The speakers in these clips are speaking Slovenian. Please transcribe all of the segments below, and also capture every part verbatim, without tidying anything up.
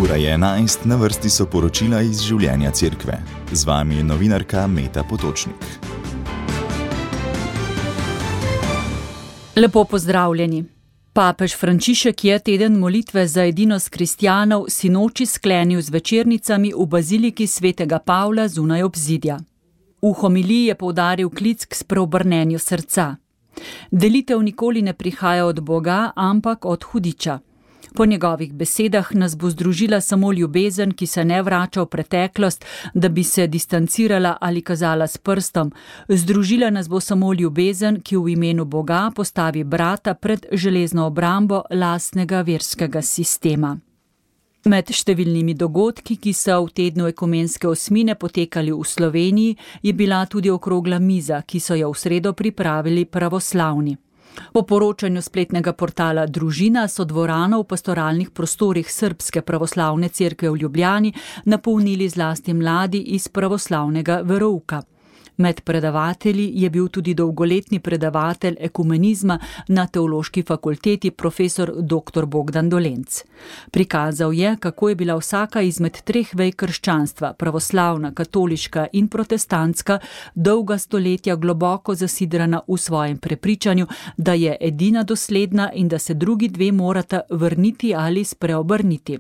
Ura je enajst, na vrsti so poročila iz življenja cerkve. Z vami je novinarka Meta Potočnik. Lepo pozdravljeni. Papež Frančišek je teden molitve za edinost kristjanov sinoči sklenil z večernicami v baziliki svetega Pavla zunaj obzidja. V homiliji je poudaril klic k spreobrnenju srca. Delitev nikoli ne prihaja od Boga, ampak od hudiča. Po njegovih besedah nas bo združila samo ljubezen, ki se ne vrača v preteklost, da bi se distancirala ali kazala s prstom. Združila nas bo samo ljubezen, ki v imenu Boga postavi brata pred železno obrambo lastnega verskega sistema. Med številnimi dogodki, ki so v tednu ekumenske osmine potekali v Sloveniji, je bila tudi okrogla miza, ki so jo v sredo pripravili pravoslavni. Po poročanju spletnega portala Družina so dvorano v pastoralnih prostorih Srbske pravoslavne cerkve v Ljubljani napolnili zlasti mladi iz pravoslavnega verouka. Med predavatelji je bil tudi dolgoletni predavatelj ekumenizma na Teološki fakulteti profesor doktor Bogdan Dolenc. Prikazal je, kako je bila vsaka izmed treh vej krščanstva, pravoslavna, katoliška in protestantska, dolga stoletja globoko zasidrana v svojem prepričanju, da je edina dosledna in da se drugi dve morata vrniti ali spreobrniti.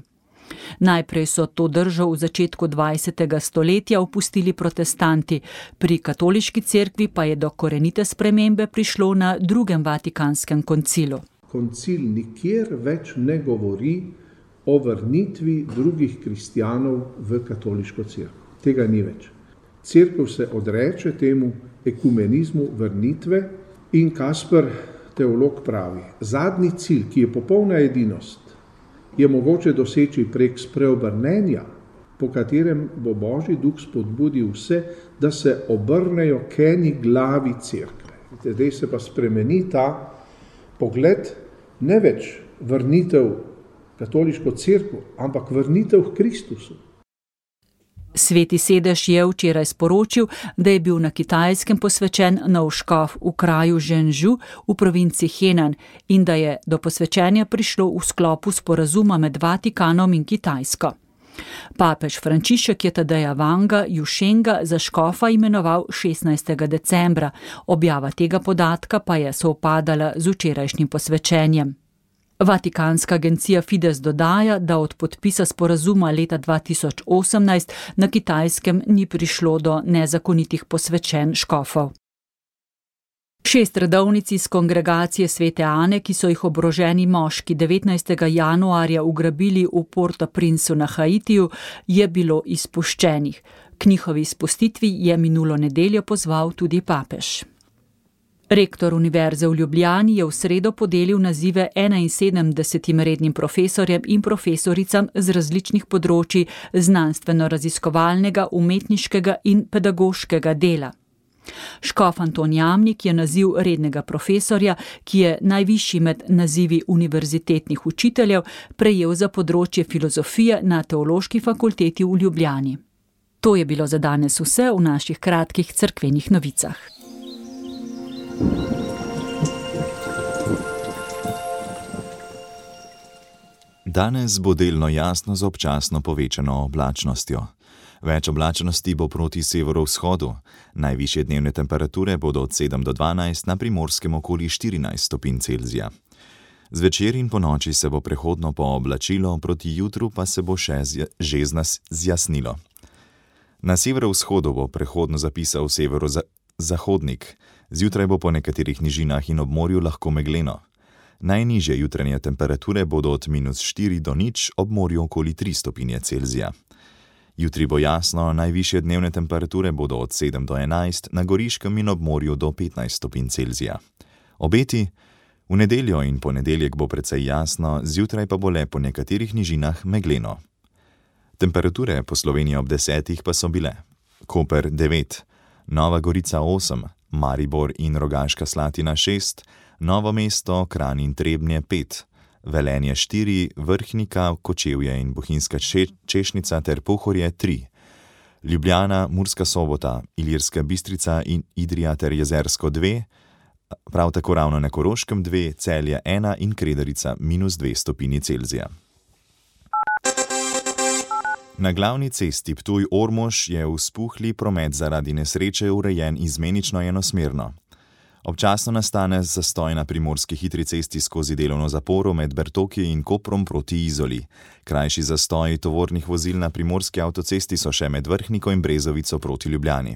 Najprej so to držo v začetku dvajsetega stoletja opustili protestanti, pri katoliški cerkvi pa je do korenite spremembe prišlo na drugem Vatikanskem koncilu. Koncil nikjer več ne govori o vrnitvi drugih kristjanov v katoliško cerkev. Tega ni več. Cerkev se odreče temu ekumenizmu vrnitve in Kasper, teolog, pravi: zadnji cilj, ki je popolna edinost, je mogoče doseči prek spreobrnenja, po katerem bo Božji duh spodbudil vse, da se obrnejo k eni glavi cerkve. Zdaj se pa spremeni ta pogled, ne več vrnitev katoliško cerkev, ampak vrnitev k Kristusu. Sveti sedež je včeraj sporočil, da je bil na Kitajskem posvečen nov škof v kraju Zhengzhou v provinci Henan in da je do posvečenja prišlo v sklopu sporazuma med Vatikanom in Kitajsko. Papež Frančišek je Tadeja Wanga Jušenga za škofa imenoval šestnajstega decembra, objava tega podatka pa je sovpadala z včerajšnjim posvečenjem. Vatikanska agencija Fides dodaja, da od podpisa sporazuma leta dva tisoč osemnajst na Kitajskem ni prišlo do nezakonitih posvečenj škofov. Šest redovnic iz kongregacije svete Ane, ki so jih oboroženi moški devetnajstega januarja ugrabili v Port-au-Princeu na Haitiju, je bilo izpuščenih. K njihovi izpustitvi je minulo nedeljo pozval tudi papež. Rektor Univerze v Ljubljani je v sredo podelil nazive enainsedemdesetim rednim profesorjem in profesoricam z različnih področij znanstveno-raziskovalnega, umetniškega in pedagoškega dela. Škof Anton Jamnik je naziv rednega profesorja, ki je najvišji med nazivi univerzitetnih učiteljev, prejel za področje filozofije na Teološki fakulteti v Ljubljani. To je bilo za danes vse v naših kratkih cerkvenih novicah. Danes bo delno jasno z občasno povečano oblačnostjo. Več oblačnosti bo proti severovzhodu. Najvišje dnevne temperature bodo od sedem do dvanajst, na Primorskem okoli štirinajst stopinj Celzija. Zvečer in ponoči se bo prehodno pooblačilo, proti jutru pa se bo še že zjasnilo. Na severovzhodu bo prehodno zapisal severozahodnik. Zjutraj bo po nekaterih nižinah in ob morju lahko megleno. Najnižje jutranje temperature bodo od minus štiri do nič, ob morju okoli tri stopinje Celzija. Jutri bo jasno, najvišje dnevne temperature bodo od sedem do enajst, na Goriškem in ob morju do petnajst stopinj Celzija. Obeti: v nedeljo in ponedeljek bo precej jasno, zjutraj pa bo le po nekaterih nižinah megleno. Temperature po Sloveniji ob desetih pa so bile: Koper devet, Nova Gorica osem, Maribor in Rogaška Slatina šest, Novo mesto, Kranj in Trebnje pet, Velenje štiri, Vrhnika, Kočevje in Bohinjska Češnica ter Pohorje tri, Ljubljana, Murska Sobota, Ilirska Bistrica in Idrija ter Jezersko dve, prav tako ravno na Koroškem dve, Celje ena in Kredarica minus dve stopinji Celzija. Na glavni cesti Ptuj-Ormož je vzpuhli promet zaradi nesreče urejen izmenično enosmerno. Občasno nastane zastoj na primorski hitri cesti skozi delovno zaporo med Bertoki in Koprom proti Izoli. Krajši zastoji tovornih vozil na primorski avtocesti so še med Vrhniko in Brezovico proti Ljubljani.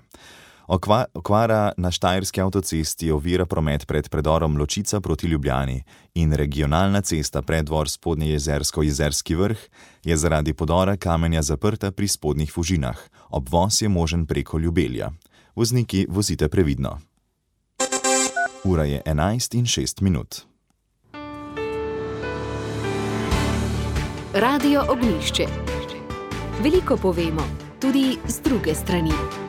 Okva, okvara na štajerski avtocesti ovira promet pred predorom Ločica proti Ljubljani in regionalna cesta Preddvor Spodnjejezersko-Jezerski vrh je zaradi podora kamenja zaprta pri Spodnjih Fužinah. Obvoz je možen preko Ljubelja. Vozniki, vozite previdno. Ura je enajst in šest minut. Radio Ognjišče. Veliko povemo, tudi z druge strani.